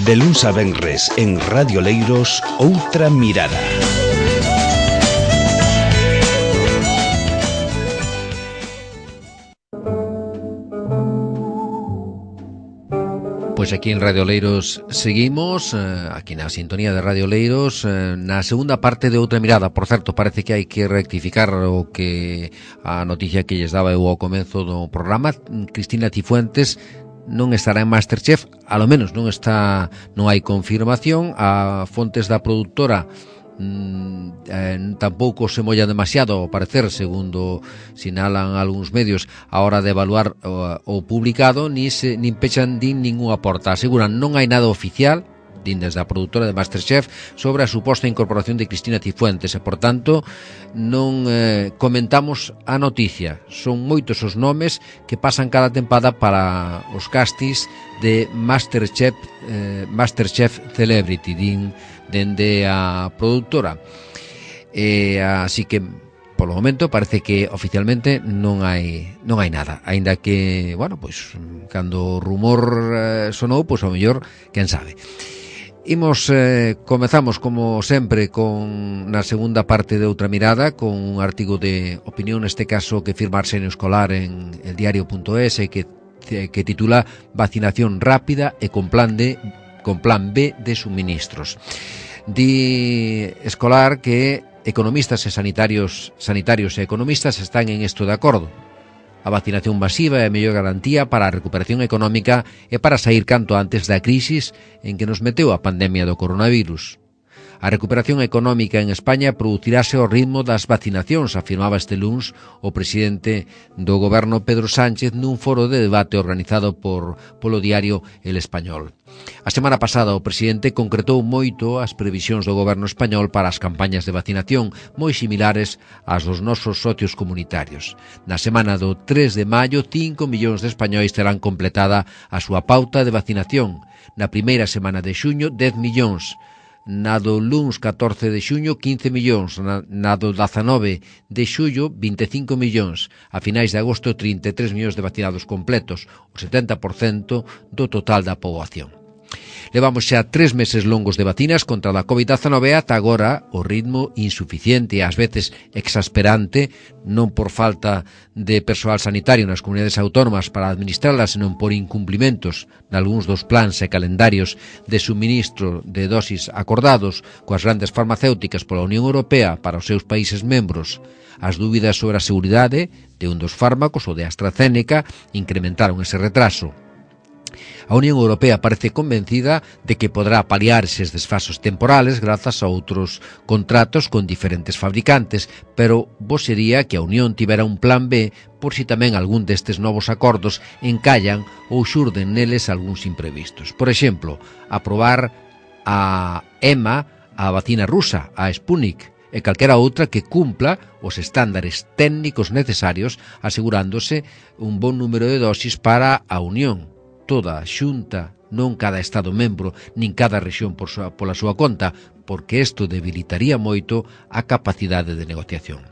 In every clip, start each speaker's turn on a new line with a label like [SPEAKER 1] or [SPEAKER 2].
[SPEAKER 1] De luns a venres en Radio Leiros, Outra Mirada.
[SPEAKER 2] Pois aquí en Radio Leiros seguimos, aquí na sintonía de Radio Leiros, na segunda parte de Outra Mirada. Por certo, parece que hai que rectificar o que a noticia que lles daba eu ao comezo do programa. Cristina Cifuentes non estará en Masterchef, a lo menos non hai confirmación. A fontes da produtora tampouco se molla demasiado, ao parecer, segundo sinalan algúns medios, a hora de evaluar o publicado, nin pechan ningunha porta. Aseguran non hai nada oficial, din desde a produtora de Masterchef, sobre a suposta incorporación de Cristina Cifuentes e, por tanto, non comentamos a noticia. Son moitos os nomes que pasan cada tempada para os castings de Masterchef Celebrity, din dende a produtora. Así que polo momento parece que oficialmente non hai nada, aínda que, bueno, pois cando o rumor sonou, pois ao mellor, quen sabe. Comezamos como sempre na segunda parte de Outra Mirada con un artigo de opinión, neste caso que firma Arsenio Escolar en eldiario.es, que titula Vacinación rápida e con plan B de suministros. Di Escolar que economistas e sanitarios e economistas están en isto de acordo. A vacinación masiva é a mellor garantía para a recuperación económica e para sair canto antes da crisis en que nos meteu a pandemia do coronavirus. A recuperación económica en España producirase ao ritmo das vacinacións, afirmaba este luns o presidente do goberno Pedro Sánchez nun foro de debate organizado polo diario El Español. A semana pasada o presidente concretou moito as previsións do goberno español para as campañas de vacinación, moi similares ás dos nosos socios comunitarios. Na semana do 3 de maio, 5 millóns de españois terán completada a súa pauta de vacinación. Na primeira semana de xuño, 10 millóns. Na do luns 14 de xuño, 15 millóns, na do 19 de xullo, 25 millóns, a finais de agosto, 33 millóns de vacinados completos, o 70% do total da poboación. Levamos xa 3 meses longos de vacinas contra a COVID-19 e ata agora o ritmo insuficiente e ás veces exasperante, non por falta de persoal sanitario nas comunidades autónomas para administrarlas, senón por incumplimentos nalgúns dos plans e calendarios de suministro de dosis acordados coas grandes farmacéuticas pola Unión Europea para os seus países membros. As dúbidas sobre a seguridade de un dos fármacos, o de AstraZeneca, incrementaron ese retraso. A Unión Europea parece convencida de que poderá paliar eses desfasos temporales grazas a outros contratos con diferentes fabricantes, pero bo sería que a Unión tivera un plan B por si tamén algún destes novos acordos encallan ou xurden neles algúns imprevistos. Por exemplo, aprobar a EMA, a vacina rusa, a Sputnik, e calquera outra que cumpla os estándares técnicos necesarios, asegurándose un bon número de dosis para a Unión. Toda a xunta, non cada Estado membro, nin cada rexión pola súa conta, porque isto debilitaría moito a capacidade de negociación.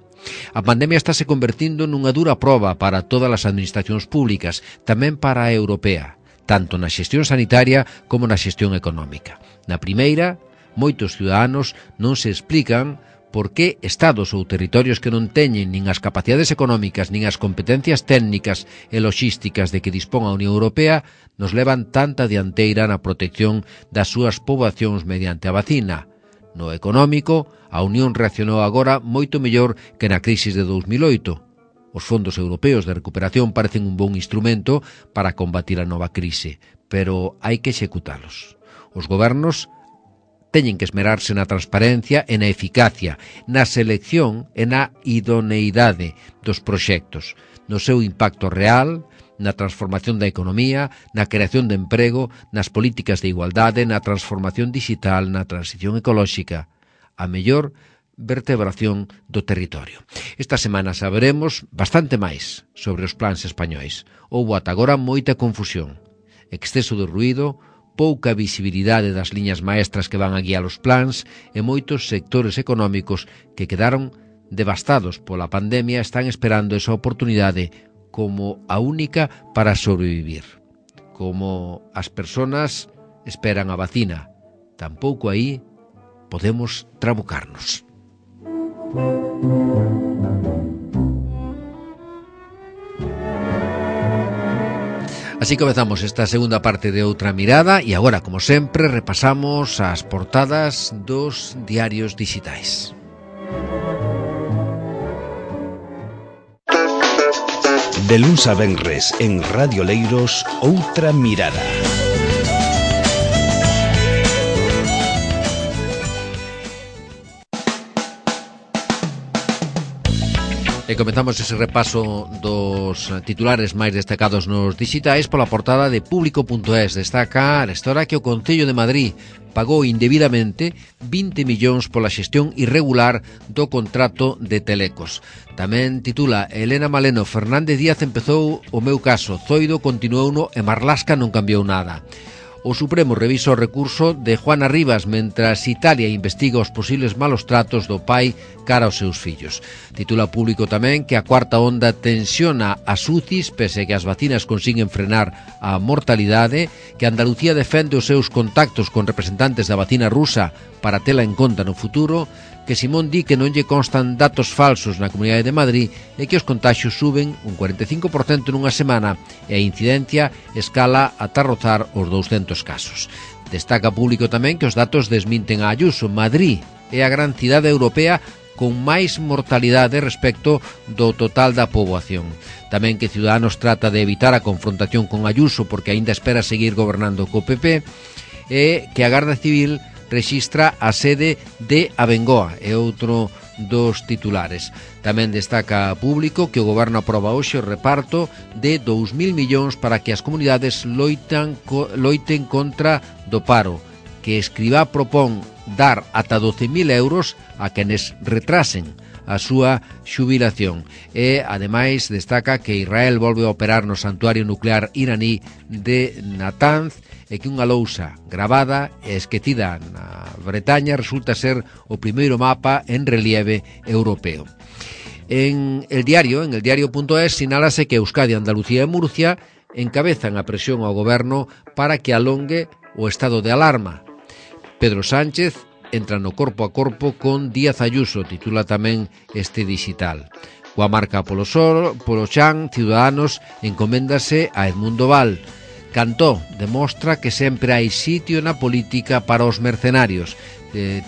[SPEAKER 2] A pandemia estáse convertindo nunha dura proba para todas as administracións públicas, tamén para a europea, tanto na xestión sanitaria como na xestión económica. Na primeira, moitos ciudadanos non se explican por que estados ou territorios que non teñen nin as capacidades económicas nin as competencias técnicas e logísticas de que dispón a Unión Europea nos levan tanta dianteira na protección das súas poboacións mediante a vacina. No económico, a Unión reaccionou agora moito mellor que na crisis de 2008. Os fondos europeos de recuperación parecen un bon instrumento para combatir a nova crise, pero hai que executalos. Os gobernos teñen que esmerarse na transparencia e na eficacia, na selección e na idoneidade dos proxectos, no seu impacto real, na transformación da economía, na creación de emprego, nas políticas de igualdade, na transformación digital, na transición ecolóxica, a mellor vertebración do territorio. Esta semana saberemos bastante máis sobre os plans españois. Houbo ata agora moita confusión, exceso de ruído, pouca visibilidade das liñas maestras que van a guiar os plans e moitos sectores económicos que quedaron devastados pola pandemia están esperando esa oportunidade como a única para sobrevivir. Como as persoas esperan a vacina. Tampouco aí podemos trabucarnos. Así comezamos esta segunda parte de Outra Mirada e agora, como sempre, repasamos as portadas dos diarios digitais.
[SPEAKER 1] De luns a venres en Radio Leiros, Outra Mirada.
[SPEAKER 2] E comezamos ese repaso dos titulares máis destacados nos digitais pola portada de Público.es. Destaca a história que o Concello de Madrid pagou indebidamente 20 millóns pola xestión irregular do contrato de Telecos. Tamén titula Elena Maleno, Fernández Díaz empezou o meu caso, Zoido continuouno e Marlaska non cambiou nada. O Supremo revisa o recurso de Juana Rivas mentras Italia investiga os posibles malos tratos do pai cara aos seus fillos. Titula Público tamén que a cuarta onda tensiona as UCIs pese que as vacinas consiguen frenar a mortalidade, que Andalucía defende os seus contactos con representantes da vacina rusa para tela en conta no futuro, que Simón di que non lle constan datos falsos na Comunidade de Madrid e que os contaxios suben un 45% nunha semana e a incidencia escala ata rozar os 200 casos. Destaca Público tamén que os datos desminten a Ayuso. Madrid é a gran cidade europea con máis mortalidade respecto do total da poboación. Tamén que Ciudadanos trata de evitar a confrontación con Ayuso porque aínda espera seguir gobernando co PP e que a Garda Civil rexistra a sede de Abengoa, é outro dos titulares. Tamén destaca Público que o Goberno aproba hoxe o reparto de 2.000 millóns para que as comunidades loiten contra do paro, que Escrivá propón dar ata 12.000 euros a quenes retrasen a súa xubilación. E, ademais, destaca que Israel volve a operar no santuario nuclear iraní de Natanz e que unha lousa gravada e esquecida na Bretaña resulta ser o primeiro mapa en relieve europeo. En el diario.es sinálase que Euskadi, Andalucía e Murcia encabezan a presión ao goberno para que alongue o estado de alarma. Pedro Sánchez entra no corpo a corpo con Díaz Ayuso, titula tamén este digital. Coa marca polo Chan, Ciudadanos encoméndase a Edmundo Val. Cantó demostra que sempre hai sitio na política para os mercenarios,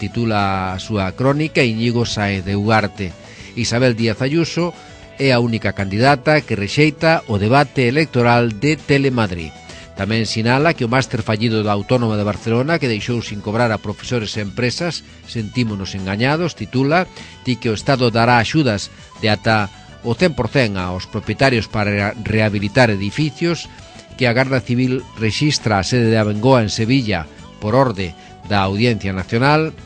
[SPEAKER 2] titula a súa crónica Íñigo Sáez de Ugarte. Isabel Díaz Ayuso é a única candidata que rexeita o debate electoral de Telemadrid. Tamén sinala que o máster fallido da Autónoma de Barcelona, que deixou sin cobrar a profesores e empresas, sentímonos engañados, titula, di que o Estado dará axudas de ata o 100% aos propietarios para rehabilitar edificios, que a Garda Civil rexistra a sede de Abengoa en Sevilla por orde da Audiencia Nacional,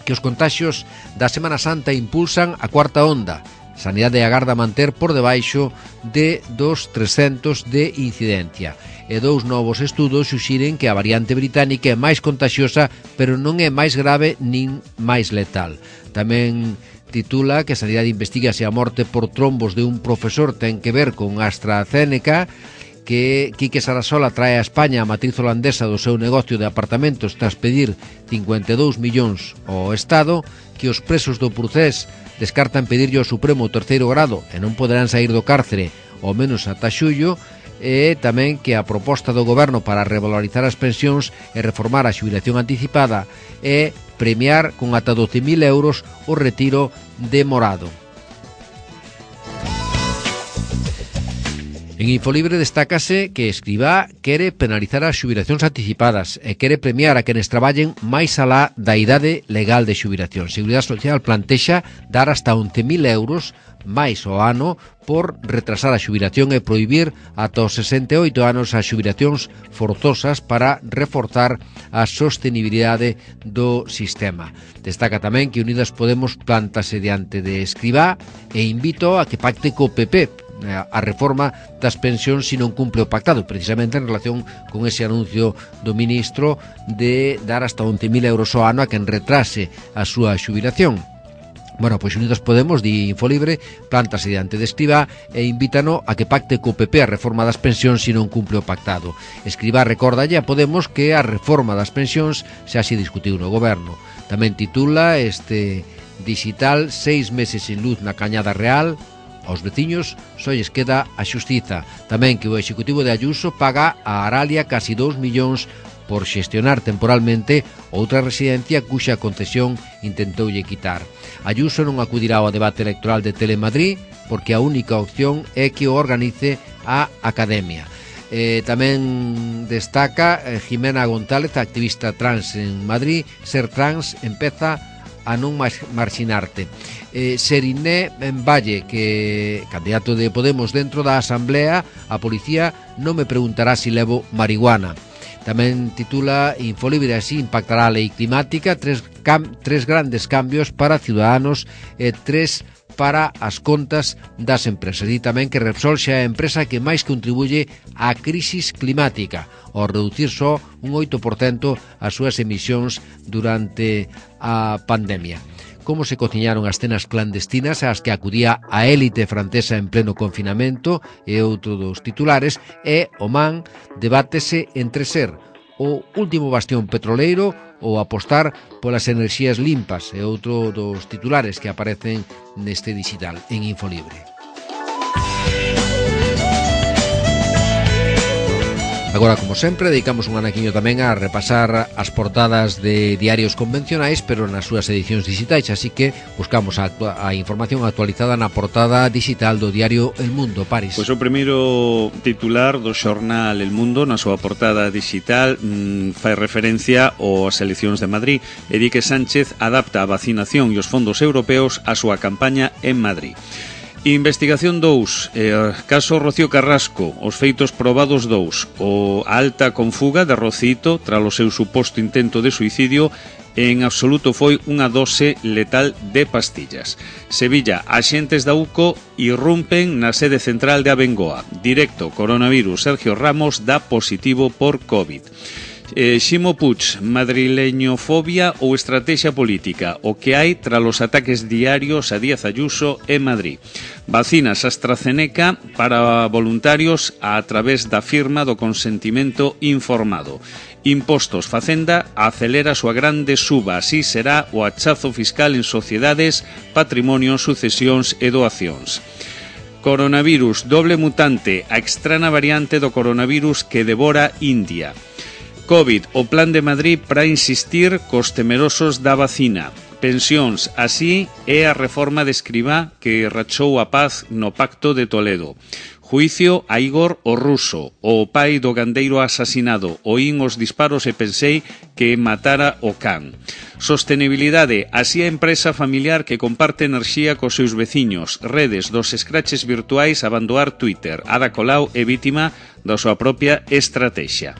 [SPEAKER 2] que os contaxios da Semana Santa impulsan a cuarta onda. Sanidade agarda manter por debaixo de dos 300 de incidencia. E dous novos estudos suxiren que a variante británica é máis contagiosa, pero non é máis grave nin máis letal. Tamén titula que a Sanidade investiga se a morte por trombos de un profesor ten que ver con AstraZeneca, que Quique Sarasola trae a España a matriz holandesa do seu negocio de apartamentos tras pedir 52 millóns ao Estado, que os presos do procés descartan pedirlle ao Supremo o terceiro grado e non poderán sair do cárcere ao menos ata xullo, e tamén que a proposta do Goberno para revalorizar as pensións e reformar a xubilación anticipada e premiar con ata 12.000 euros o retiro demorado. En Infolibre destácase que Escrivá quere penalizar as xubilacións anticipadas e quere premiar a quenes traballen máis alá da idade legal de xubilación. Seguridade Social plantexa dar hasta 11.000 euros máis ao ano por retrasar a xubilación e prohibir ata os 68 anos as xubilacións forzosas para reforzar a sostenibilidade do sistema. Destaca tamén que Unidas Podemos plantase diante de Escrivá e invito a que pacte co PP a reforma das pensións se non cumple o pactado, precisamente en relación con ese anuncio do ministro de dar hasta 11.000 euros ao ano a quen retrase a súa xubilación. Bueno, pois Unidos Podemos, di Infolibre, plántase diante de Escribá e invítano a que pacte co PP a reforma das pensións se non cumple o pactado. Escribá recordalle a Podemos que a reforma das pensións xa se discutiu no goberno. Tamén titula este digital 6 meses sin luz na Cañada Real. Aos veciños só lles queda a xustiza. Tamén que o Executivo de Ayuso paga a Aralia casi 2 millóns por xestionar temporalmente outra residencia cuxa concesión intentoulle quitar. Ayuso non acudirá ao debate electoral de Telemadrid porque a única opción é que o organice a Academia. Tamén destaca Jimena González, activista trans en Madrid: ser trans empeza a non marxinarte. Seriné en Valle, que candidato de Podemos dentro da Asamblea: a policía non me preguntará si levo marihuana. Tamén titula Infolibre: así impactará a lei climática, tres grandes cambios para Ciudadanos e 3 para as contas das empresas. E tamén que Repsol xa é a empresa que máis contribuye á crisis climática, ao reducir só un 8% as súas emisións durante a pandemia. Como se cociñaron as cenas clandestinas ás que acudía a élite francesa en pleno confinamento, e outro dos titulares é: Oman debátese entre ser o último bastión petroleiro ou apostar polas enerxías limpas, e outro dos titulares que aparecen neste digital en Infolibre. Agora, como sempre, dedicamos un anaquiño tamén a repasar as portadas de diarios convencionais, pero nas súas edicións digitais, así que buscamos a información actualizada na portada digital do diario El Mundo. Paris.
[SPEAKER 3] Pois o primeiro titular do xornal El Mundo na súa portada digital fai referencia ás eleccións de Madrid e di que Sánchez adapta a vacinación e os fondos europeos á súa campaña en Madrid. Investigación 2, caso Rocío Carrasco, os feitos probados 2, a alta con fuga de Rocito tras o seu suposto intento de suicidio, en absoluto foi unha dose letal de pastillas. Sevilla, axentes da UCO irrumpen na sede central de Abengoa. Directo, coronavirus, Sergio Ramos dá positivo por COVID. Ximo Puig, madrileñofobia ou estrategia política, o que hai tras os ataques diarios a Díaz Ayuso en Madrid. Vacinas AstraZeneca para voluntarios a través da firma do consentimento informado. Impostos, Facenda acelera a súa grande suba, así será o achazo fiscal en sociedades, patrimonio, sucesións e doacións. Coronavirus, doble mutante, a extraña variante do coronavirus que devora India. COVID, o plan de Madrid para insistir cos temerosos da vacina. Pensións, así é a reforma de Escribá que rachou a paz no Pacto de Toledo. Juicio a Igor o Ruso, o pai do gandeiro asasinado. Oín os disparos e pensei que matara o can. Sostenibilidade, así a empresa familiar que comparte enerxía cos seus veciños. Redes dos escraches virtuais a abandoar Twitter. Ada Colau é vítima da súa propia estrategia.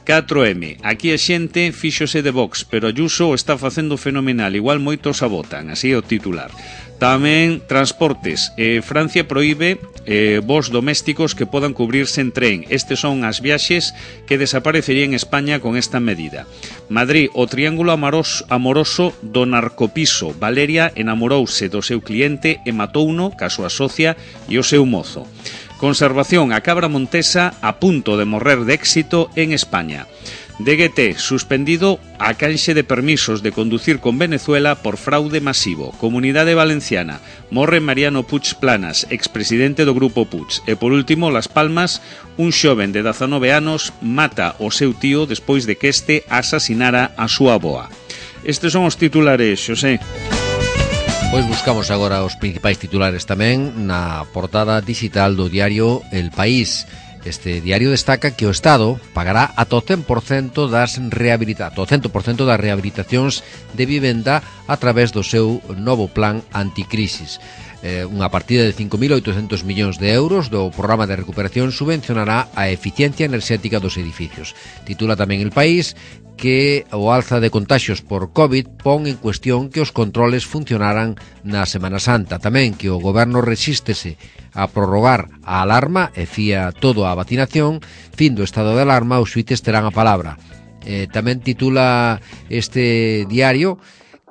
[SPEAKER 3] 4M, aquí a xente fíxose de Vox, pero Ayuso o está facendo fenomenal, igual moitos a votan, así é o titular. Tamén transportes, Francia proíbe voos domésticos que podan cubrirse en tren. Estes son as viaxes que desaparecerían en España con esta medida. Madrid, o triángulo amoroso do narcopiso. Valeria enamorouse do seu cliente e matouno, ca súa socia e o seu mozo. Conservación, a cabra montesa a punto de morrer de éxito en España. DGT, suspendido a canxe de permisos de conducir con Venezuela por fraude masivo. Comunidade Valenciana, morre Mariano Puig Planas, expresidente do Grupo Puig. E por último, Las Palmas, un xoven de 19 anos mata o seu tío despois de que este asasinara a súa avoa. Estes son os titulares, Xosé.
[SPEAKER 2] Pois buscamos agora os principais titulares tamén na portada digital do diario El País. Este diario destaca que o Estado pagará ata o 100% das rehabilitacións de vivenda a través do seu novo plan anticrisis. Unha partida de 5.800 millóns de euros do programa de recuperación subvencionará a eficiencia enerxética dos edificios. Titula tamén El País que o alza de contaxios por COVID pon en cuestión que os controles funcionaran na Semana Santa. Tamén que o goberno resístese a prorrogar a alarma e fía todo a vacinación. Fin do estado de alarma, os xuíces terán a palabra. Tamén titula este diario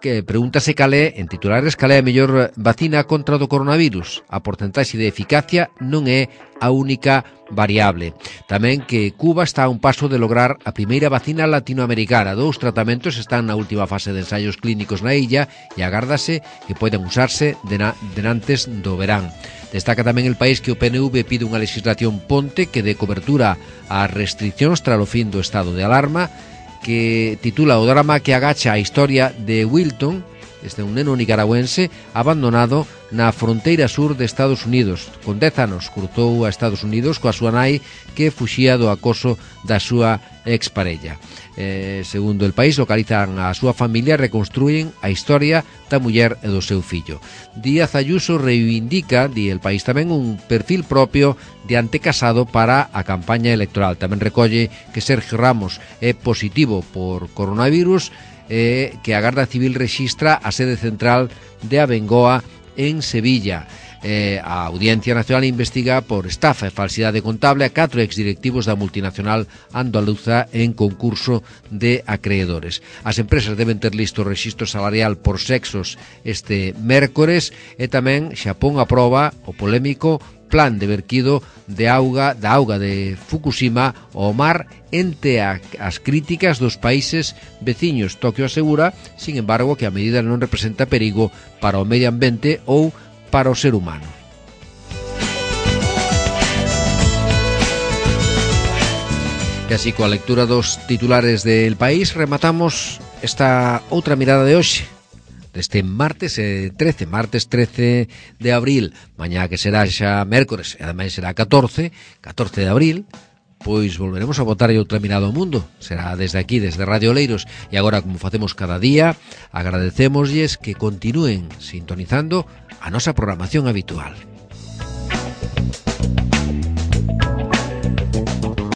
[SPEAKER 2] que pregúntase calé, en titulares, calé a mellor vacina contra o coronavirus. A porcentaxe de eficacia non é a única variable. Tamén que Cuba está a un paso de lograr a primeira vacina latinoamericana. 2 tratamentos están na última fase de ensaios clínicos na illa e agárdase que poden usarse denantes do verán. Destaca tamén el país que o PNV pide unha legislación ponte que dé cobertura ás restriccións tras o fin do estado de alarma, que titula o drama que agacha a historia de Wilton, este é un neno nicaragüense abandonado na fronteira sur de Estados Unidos. Con 10 anos cruzou a Estados Unidos coa súa nai que fuxía do acoso da súa exparella. Segundo el país, localizan a súa familia e reconstruyen a historia da muller e do seu fillo. Díaz Ayuso reivindica, di el país tamén, un perfil propio de antecasado para a campaña electoral. Tamén recolle que Sergio Ramos é positivo por coronavirus e que a Garda Civil rexistra a sede central de Abengoa en Sevilla. A Audiencia Nacional investiga por estafa e falsidade contable a 4 exdirectivos da multinacional andaluza en concurso de acreedores. As empresas deben ter listo o rexistro salarial por sexos este mércores e tamén Xapón aproba o polémico plan de verquido de auga de Fukushima ao mar ente as críticas dos países veciños. Tokio asegura, sin embargo, que a medida non representa perigo para o medio ambiente ou para o ser humano. E así, coa lectura dos titulares del país, rematamos esta outra mirada de hoxe, deste martes 13 de abril, mañá que será xa mércores, e ademais será 14 de abril, pois volveremos a botar outra mirada ao mundo. Será desde aquí, desde Radio Oleiros. E agora, como facemos cada día, agradecémoslles que continúen sintonizando a nosa programación habitual.